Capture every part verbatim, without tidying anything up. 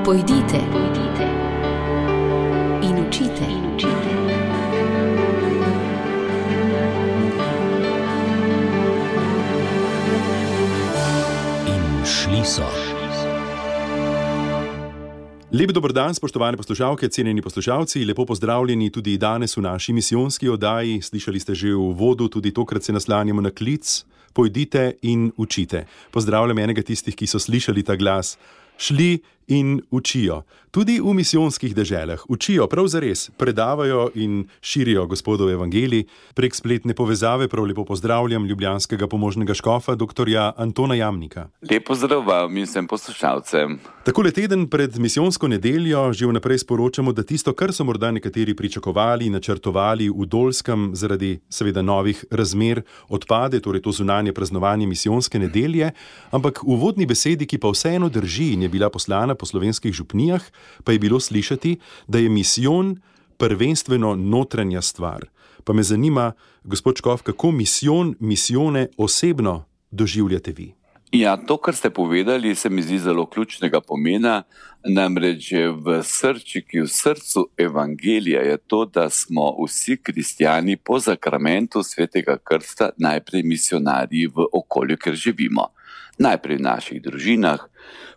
Pojdite, pojdite in učite. In učite. In šli so. Lep dober dan, spoštovane poslušalke, cenjeni poslušalci, lepo pozdravljeni tudi danes v naši misijonski oddaji. Slišali ste že v uvodu, tudi tokrat se naslanjamo na klic. Pojdite in učite. Pozdravljam enega tistih, ki so slišali ta glas. Šli in učijo. Tudi v misijonskih deželah učijo prav zares, predavajo in širijo Gospodov evangelij. Prek spletne povezave prav lepo pozdravljam ljubljanskega pomožnega škofa, doktorja Antona Jamnika. Lep pozdrav vam in vsem poslušalcem. Takole teden pred misijonsko nedeljo že vnaprej sporočamo, da tisto, kar so morda nekateri pričakovali in načrtovali v Dolskem zaradi seveda novih razmer, odpade, torej to zunanje praznovanje misijonske nedelje, ampak v uvodni besedi, ki pa vseeno drži in je bila poslana po slovenskih župnijah, pa je bilo slišati, da je misijon prvenstveno notranja stvar. Pa me zanima, gospod škof, kako misijon, misijone osebno doživljate vi? Ja, to, kar ste povedali, se mi zdi zelo ključnega pomena, namreč v srčiki, v srcu evangelija je to, da smo vsi kristjani po zakramentu svetega krsta najprej misionarji v okolju, kjer živimo. Najprej v naših družinah,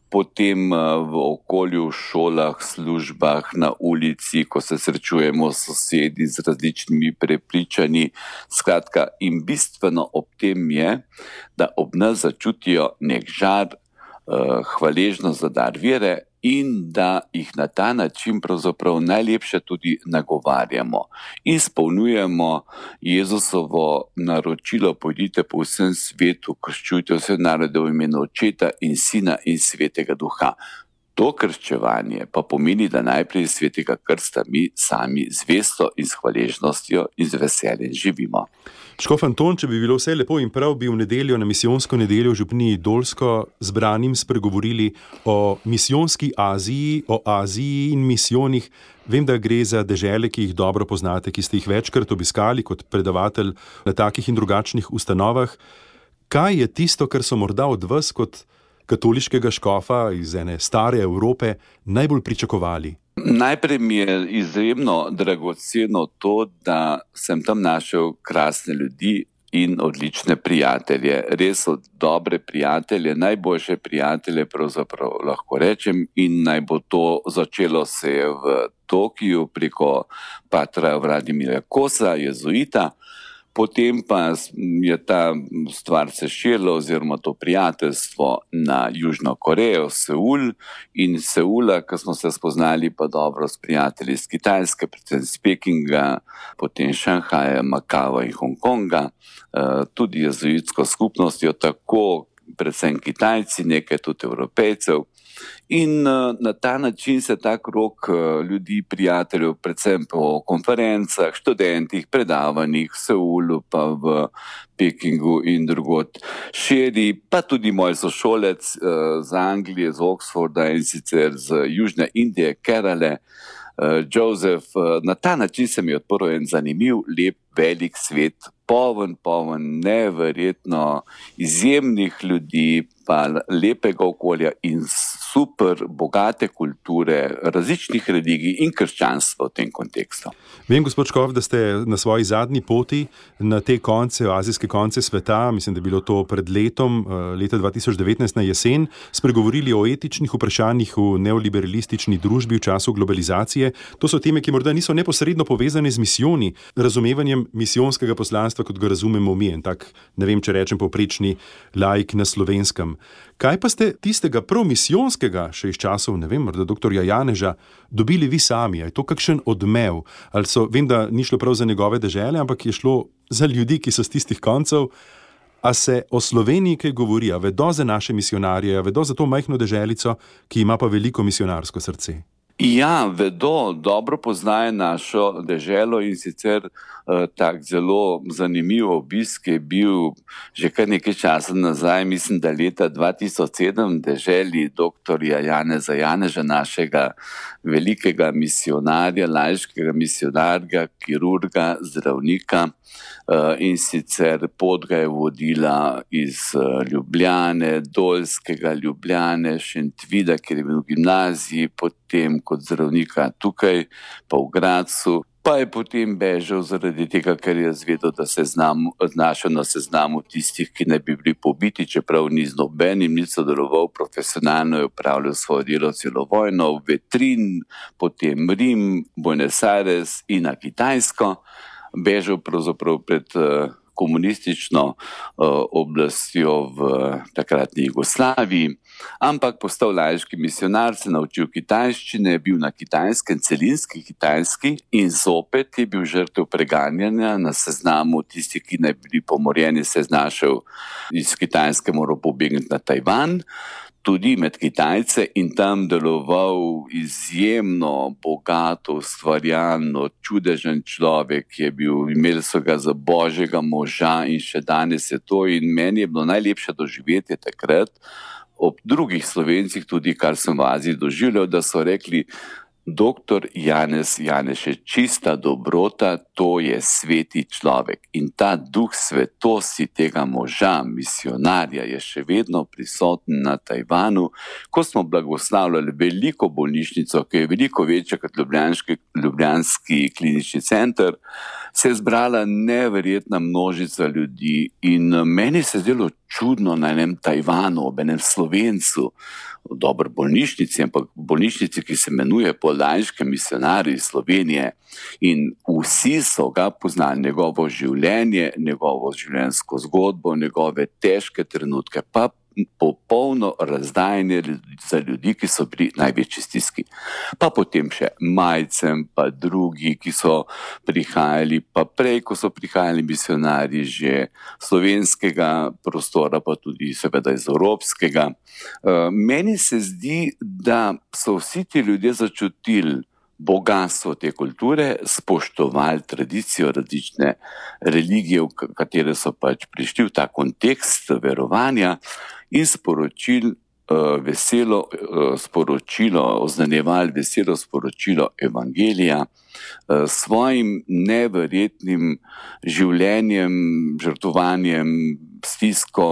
potem v okolju, v šolah, službah, na ulici, ko se srečujemo s sosedi z različnimi prepričanji. Skratka, in bistveno ob tem je, da ob nas začutijo nek žar, hvaležnost za dar vere in da jih na ta način pravzaprav najlepše tudi nagovarjamo. Izpolnjujemo Jezusovo naročilo: pojdite po vsem svetu, krščujte vse narode v imenu Očeta in Sina in Svetega Duha. To krščevanje pa pomeni, da najprej svetega krsta mi sami zvesto in s hvaležnostjo in z veseljem živimo. Škof Anton, če bi bilo vse lepo in prav, bi v nedeljo na misijonsko nedeljo v župniji Dolsko zbranim spregovorili o misijonski Aziji, o Aziji in misijonih. Vem, da gre za dežele, ki jih dobro poznate, ki ste jih večkrat obiskali kot predavatelj na takih in drugačnih ustanovah. Kaj je tisto, kar so morda od vas kot katoliškega škofa iz ene stare Evrope najbolj pričakovali? Najprej mi je izjemno dragoceno to, da sem tam našel krasne ljudi in odlične prijatelje. Res so dobre prijatelje, najboljše prijatelje pravzaprav lahko rečem, in naj bo to začelo se je v Tokiju preko patra Vladimirja Kosa, jezuita. Potem pa je ta stvar se širila oziroma to prijateljstvo na Južno Korejo, Seul, in Seula, ko smo se spoznali pa dobro s prijatelji iz Kitajske, predvsem iz Pekinga, potem Šanghaja, Makava in Hongkonga, tudi jezuitsko skupnostjo, tako predvsem Kitajci, nekaj tudi Evropejcev. In na ta način se ta krog ljudi, prijateljev, predvsem po konferencah, študentih, predavanjih v Seulu, pa v Pekingu in drugod širi, pa tudi moj sošolec z Anglije, z Oxforda in sicer z Južne Indije, Kerale, Joseph. Na ta način se mi je odprl en zanimiv, lep, velik svet, poln, poln, neverjetno izjemnih ljudi, pa lepega okolja in super bogate kulture, različnih religij in krščanstva v tem kontekstu. Vem, gospod škof, da ste na svoji zadnji poti na te konce, azijske konce sveta, mislim, da je bilo to pred letom, leta dva tisoč devetnajst na jesen, spregovorili o etičnih vprašanjih v neoliberalistični družbi v času globalizacije. To so teme, ki morda niso neposredno povezane z misijoni, razumevanjem misijonskega poslanstva, kot ga razumemo mi, en tak, ne vem, če rečem povprečni laik na Slovenskem. Kaj pa ste tistega prav misijonskega, še iz časov, ne vem, morda doktorja Janeža, dobili vi sami? Je to kakšen odmev? Ali so, vem, da ni šlo prav za njegove dežele, ampak je šlo za ljudi, ki so z tistih koncev. A se o Sloveniji kaj govori? A vedo za naše misionarje? A vedo za to majhno deželico, ki ima pa veliko misionarsko srce? Ja, vedo, dobro poznajo našo deželo in sicer uh, tak zelo zanimiv obisk je bil že kar nekaj časa nazaj, mislim, da leta dva tisoč sedem, deželi doktorja Janeza Janeža, našega velikega misionarja, laiškega misionarja, kirurga, zdravnika. Uh, in sicer pot ga je vodila iz uh, Ljubljane, Dolskega, Ljubljane, Šentvida, kjer je bil v gimnaziji, potem kot zdravnika tukaj, pa v Gradcu, pa je potem bežal zaradi tega, ker je zvedel, da se znam, znašel na seznamu tistih, ki ne bi bili pobiti, čeprav ni z nobenim, ni sodeloval, profesionalno je upravljal svoje delo celo vojno, v Vetrin, potem Rim, Buenos Aires in na Kitajsko. Bežal pravzaprav pred uh, komunistično uh, oblastjo v uh, takratni Jugoslaviji, ampak postal laiški misionar, se naučil kitajščine, bil na kitajskem, celinski kitajski in zopet je bil žrtev preganjanja na seznamu tistih, ki naj bili pomorjeni, se je znašel iz Kitajske, moral pobegniti na Tajvan, tudi med Kitajce in tam deloval izjemno bogato, ustvarjalno, čudežen človek, ki je bil, imeli so ga za božjega moža in še danes je to in meni je bilo najlepše doživetje takrat ob drugih Slovencih tudi, kar sem v Aziji doživljal, da so rekli, doktor Janez Janeš je čista dobrota, to je sveti človek. In ta duh svetosti tega moža, misionarja, je še vedno prisoten na Tajvanu. Ko smo blagoslavljali veliko bolnišnico, ki je veliko večja kot Ljubljanski, Ljubljanski klinični center, se je zbrala neverjetna množica ljudi in meni se je zdelo čudno na enem Tajvanu, ob enem Slovencu, dobro bolnišnici, ampak bolnišnici, ki se imenuje po laiškem misionarju iz Slovenije in vsi so ga poznali, njegovo življenje, njegovo življenjsko zgodbo, njegove težke trenutke, pa popolno razdajanje za ljudi, ki so bili največji stiski. Pa potem še Majcem, pa drugi, ki so prihajali, pa prej, ko so prihajali misionarji že slovenskega prostora, pa tudi seveda iz evropskega. Meni se zdi, da so vsi ti ljudje začutili bogatstvo te kulture, spoštovali tradicijo različne religije, v katere so pač prišli v ta kontekst verovanja in sporočili uh, veselo uh, sporočilo, oznanjevali veselo sporočilo evangelija uh, svojim neverjetnim življenjem, žrtvovanjem, stisko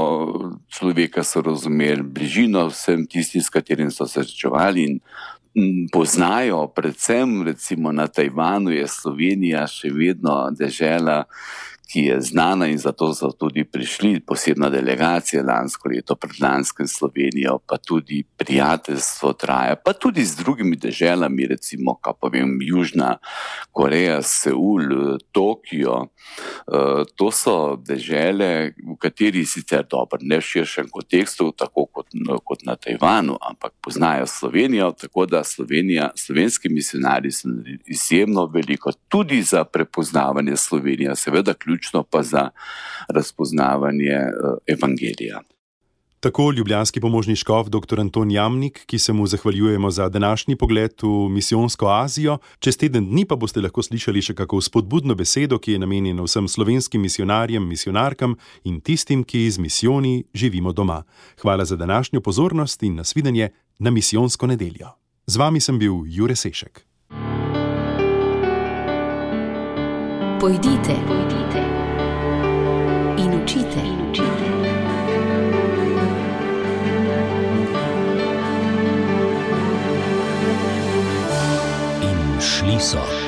človeka so razumeli, bližino vsem tistim, s katerim so se srečevali in poznajo, predvsem recimo na Tajvanu je Slovenija še vedno dežela, ki je znana in zato so tudi prišli posebna delegacija lansko leto, predlanskem Slovenijo, pa tudi prijateljstvo traja, pa tudi z drugimi deželami, recimo, kaj pa vem, Južna Koreja, Seul, Tokio. To so dežele, v kateri sicer dobro, ne v širšem kontekstu, tako kot, kot na Tajvanu, ampak poznajo Slovenijo, tako da Slovenija, slovenski misionarji so izjemno veliko, tudi za prepoznavanje Slovenije, seveda ključno pa za razpoznavanje evangelija. Tako ljubljanski pomožni škof dr. Anton Jamnik, ki se mu zahvaljujemo za današnji pogled v misijonsko Azijo. Čez teden dni pa boste lahko slišali še kako spodbudno besedo, ki je namenjena vsem slovenskim misionarjem, misionarkam in tistim, ki z misijoni živimo doma. Hvala za današnjo pozornost in nasvidenje na misijonsko nedeljo. Z vami sem bil Jure Sešek. Pojdite, pojdite in učite, in učite. In šli so.